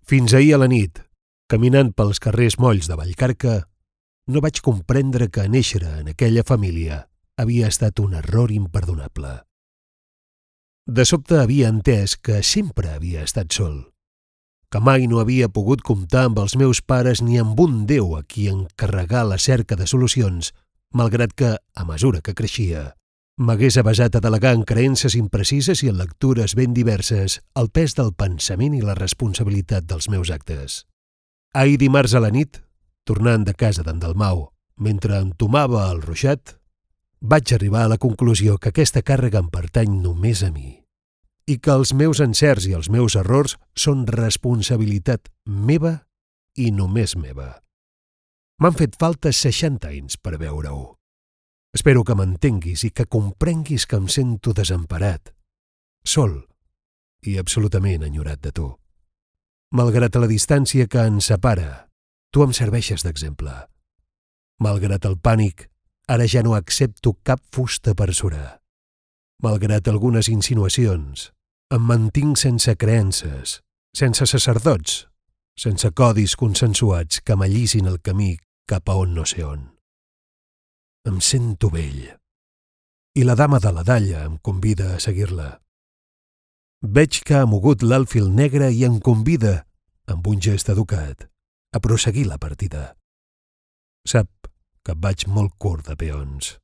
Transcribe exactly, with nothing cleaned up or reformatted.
Fins ahir a la nit, caminant pels carrers molls de Vallcarca, no vaig comprendre que néixer en aquella família havia estat un error imperdonable. De sobte havia entès que sempre havia estat sol, que mai no havia pogut comptar amb els meus pares ni amb un Déu a qui encarregar la cerca de solucions, malgrat que, a mesura que creixia, m'hagués avesat a delegar en creences imprecises i en lectures ben diverses el pes del pensament i la responsabilitat dels meus actes. Ahir dimarts a la nit, tornant de casa d'en Dalmau, mentre entomava el ruixat, vaig arribar a la conclusió que aquesta càrrega em pertany només a mi i que els meus encerts i els meus errors són responsabilitat meva i només meva. M'han fet falta seixanta anys per veure-ho. Espero que m'entenguis i que comprenguis que em sento desemparat, sol i absolutament enyorat de tu. Malgrat la distància que ens separa, tu em serveixes d'exemple. Malgrat el pànic, ara ja no accepto cap fusta per surar. Malgrat algunes insinuacions, em mantinc sense creences, sense sacerdots, sense codis consensuats que m'allisin el camí cap a on no sé on. Em sento vell, i la dama de la dalla em convida a seguir-la. Veig que ha mogut l'alfil negre i em convida, amb un gest educat, a prosseguir la partida. Sap que vaig molt curt de peons.